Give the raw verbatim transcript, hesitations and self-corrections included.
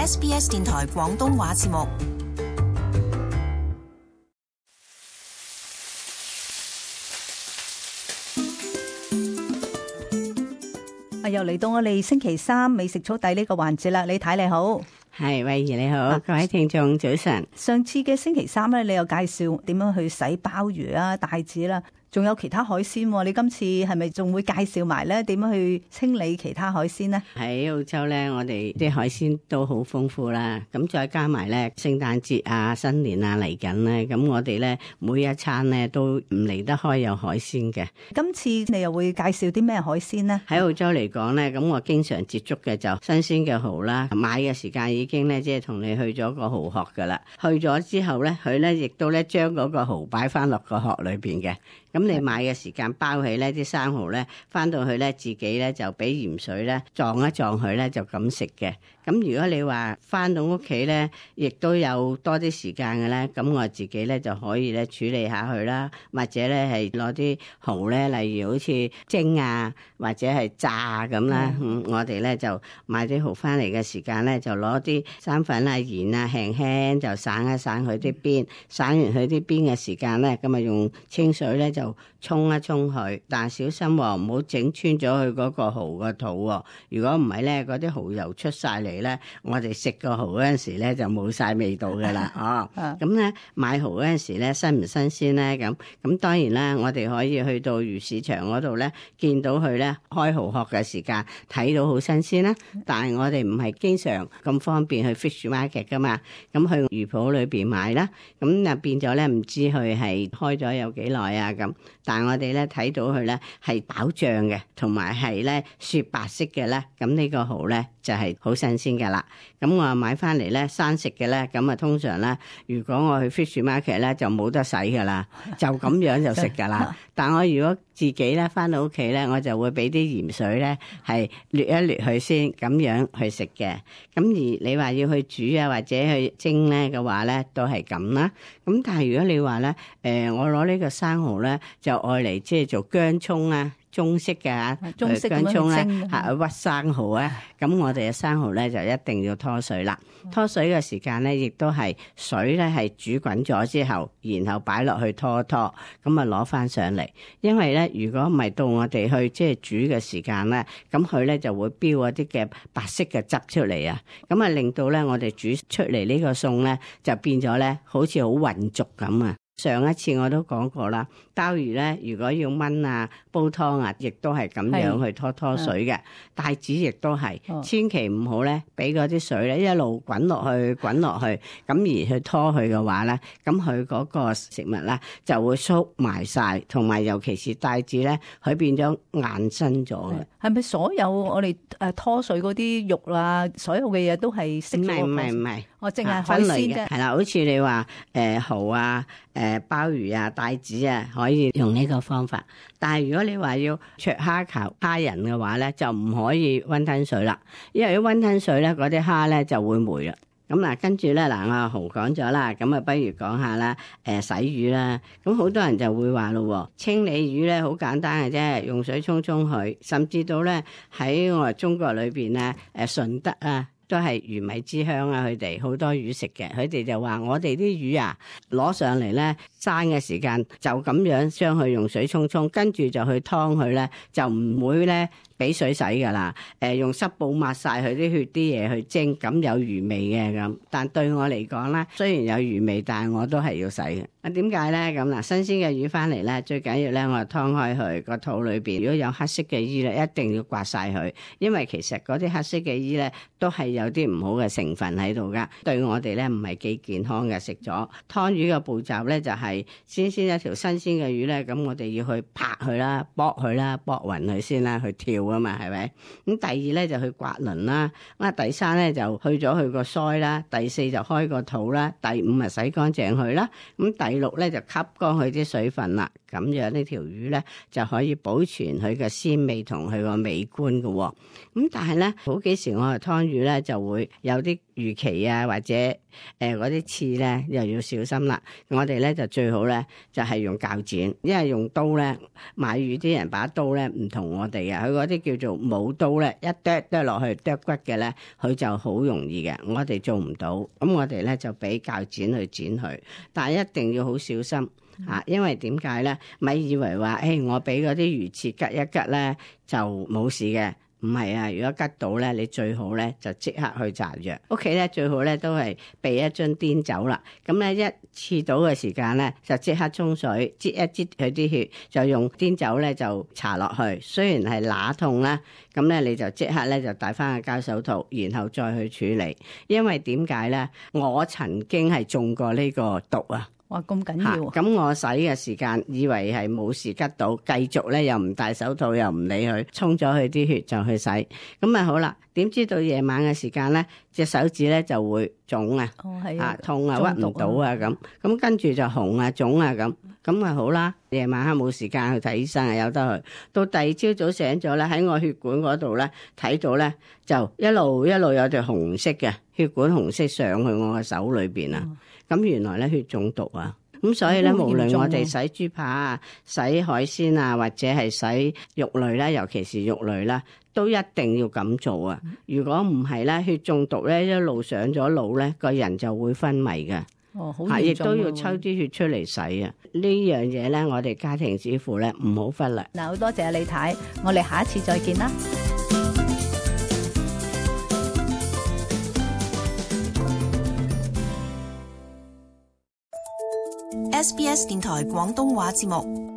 S B S 電台廣東話節目。啊，又嚟到我哋星期三美食速遞呢個環節啦，李太你好。係，慧怡你好，啊、各位聽眾早晨。上次嘅星期三咧，你有介紹點樣去洗鮑魚啊、帶子啦，仲有其他海鮮。你今次係咪仲會介紹埋咧點樣去清理其他海鮮呢？喺澳洲咧，我哋啲海鮮都好豐富啦。咁再加埋咧，聖誕節啊、新年啊嚟緊咧，咁我哋咧每一餐咧都唔離得開有海鮮嘅。今次你又會介紹啲咩海鮮呢？喺澳洲嚟講咧，咁我經常接觸嘅就新鮮嘅蠔啦，買嘅時間已經咧即係同你去咗個蠔殼噶啦。去咗之後咧，佢咧亦都咧將嗰個蠔擺翻落個殼裏邊嘅。咁你買嘅時間包起咧啲生蠔咧，翻到去咧自己咧就俾鹽水咧撞一撞佢咧就咁食嘅。咁如果你話翻到屋企咧，亦都有多啲時間嘅咧，咁我自己咧就可以咧處理下佢啦，或者咧係攞啲蠔咧，例如好似蒸啊，或者係炸咁啦。嗯，我哋咧就買啲蠔翻嚟嘅時間咧，就攞啲生粉啊、鹽啊，輕輕就散一散佢啲邊，散完佢啲邊嘅時間咧，咁啊用清水咧就沖一沖佢，但係小心喎，唔好整穿咗佢嗰個蠔個肚喎。如果唔係咧，嗰啲蠔油出晒嚟咧，我哋食個蠔嗰陣時咧就冇晒味道噶啦。哦，咁咧買蠔嗰陣時咧新唔新鮮咧？咁咁當然啦，我哋可以去到魚市場嗰度咧，見到佢咧開蠔殼嘅時間睇到好新鮮啦。但係我哋唔係經常咁方便去 fish market 噶嘛，咁去魚鋪裏邊買啦，咁啊變咗咧唔知佢係開咗有幾耐啊咁。但係我哋咧睇到佢咧係飽脹嘅，同埋係咧雪白色嘅咧，咁呢個蠔咧就係好新鮮噶啦。咁我買翻嚟咧生食嘅咧，咁啊通常咧，如果我去 fish market 咧就冇得洗噶啦，就咁樣就食噶啦。但我如果自己咧翻到屋企咧，我就會俾啲鹽水咧係掠一掠佢先，咁樣去食嘅。咁而你話要去煮啊或者去蒸咧嘅話咧，都係咁啦。咁但係如果你話咧，誒、呃、我攞呢個生蠔咧就愛嚟即係做薑葱啊。中式嘅嚇，中式薑葱咧嚇屈生蠔啊，咁我哋嘅生蠔咧就一定要拖水啦。拖水嘅時間咧，亦都係水咧係煮滾咗之後，然後擺落去拖一拖，咁啊攞翻上嚟。因為咧，如果唔係到我哋去即係煮嘅時間咧，咁佢咧就會飆一啲嘅白色嘅汁出嚟啊，咁啊令到咧我哋煮出嚟呢個餸咧就變咗咧好似好渾濁咁啊。上一次我都講過啦，鮑魚咧如果要燜啊煲湯啊，亦都係咁樣去拖拖水嘅。帶子亦都係，千祈唔好咧俾嗰啲水咧一路滾落去滾落去，咁而去拖佢嘅話咧，咁佢嗰個食物咧就會縮埋晒，同埋尤其是帶子咧，佢變咗硬身咗嘅。係咪所有我哋誒拖水嗰啲肉啊，所有嘅嘢都係識咗？唔係唔係唔係，我淨係海鮮啫。係啦，好似你話誒蠔啊、誒鮑魚啊、帶子啊，可以用呢個方法。但係如果你話要灼蝦球蝦仁嘅話咧，就唔可以溫吞水啦，因為溫吞水咧，嗰啲蝦咧就會霉啦。咁嗱，跟住咧嗱，我蠔講咗啦，咁啊不如講下啦，誒洗魚啦。咁好多人就會話咯，清理魚咧好簡單嘅啫，用水沖沖佢，甚至到咧喺我哋中國裏邊咧，誒順德啊。都係魚米之鄉啊！佢哋好多魚食嘅，佢哋就話我哋啲魚啊，攞上嚟咧生嘅時間就咁樣將佢用水沖沖，跟住就去劏佢咧，就唔會咧俾水洗噶啦。誒、呃，用濕布抹晒佢啲血啲嘢去蒸，咁有魚味嘅咁。但對我嚟講咧，雖然有魚味，但係我都係要洗嘅。啊，點解咧？咁嗱，新鮮嘅魚翻嚟咧，最緊要咧，我就劏開佢個肚裏邊，如果有黑色嘅衣咧，一定要刮晒佢，因為其實嗰啲黑色嘅衣咧都係有啲唔好嘅成分喺度噶，對我哋咧唔係幾健康嘅。食咗劏魚嘅步驟咧，就係先先一條新鮮嘅魚咧，咁我哋要去拍佢啦、剝佢啦、剝勻佢先啦，去跳啊嘛，係咪？咁第二咧就去刮鱗啦，咁啊第三咧就去咗佢個腮啦，第四就開個肚啦，第五啊洗乾淨佢啦，咁第六咧就吸乾佢啲水分啦，咁咁樣呢條魚咧就可以保存佢嘅鮮味同佢個美觀嘅、哦。咁但係咧好幾時我哋劏魚咧就會有啲魚鰭啊或者誒嗰啲刺咧又要小心啦。我哋咧就最好咧就係、是、用鉸剪，因為用刀咧買魚啲人把刀咧唔同我哋嘅，佢嗰啲叫做冇刀咧，一剁剁落去剁骨嘅咧，佢就好容易嘅。我哋做唔到，咁我哋咧就俾鉸剪去剪佢，但係一定要好小心。啊，因為點解咧？咪以為話，誒、哎，我俾嗰啲魚刺吉一吉咧就冇事嘅，唔係啊！如果吉到咧，你最好咧就即刻去搽藥。屋企咧最好咧都係備一樽碘酒啦。咁咧一刺到嘅時間咧，就即刻沖水，擠一擠佢啲血，就用碘酒咧就搽落去。雖然係乸痛啦，咁咧你就即刻咧就戴翻個膠手套，然後再去處理。因為點解咧？我曾經係中過呢個毒啊！哇，咁緊要！咁我洗嘅時間以為係冇事吉到，繼續咧又唔戴手套又唔理佢，沖咗佢啲血就去洗，咁咪好啦。點知到夜晚嘅時間咧，隻手指咧就會腫啊，哦係啊痛啊，屈唔到啊咁，咁跟住就紅啊腫啊咁，咁咪好啦。夜晚黑冇時間去睇醫生啊，由得去。到第二朝早醒咗咧，喺我血管嗰度咧睇到咧，就一路一路有條紅色嘅血管紅色上去我嘅手裏邊啊。咁、嗯、原來咧血中毒啊！咁所以咧，無論我哋洗豬扒啊、洗海鮮啊，或者係洗肉類啦，尤其是肉類啦，都一定要咁做啊！如果唔係咧，血中毒咧一路上咗腦咧，個人就會昏迷嘅。哦，好亦都要抽啲血出嚟洗啊！呢樣嘢咧，我哋家庭主婦咧唔好忽略。嗱，好多謝李太，我哋下一次再見啦。S B S 電台廣東話節目。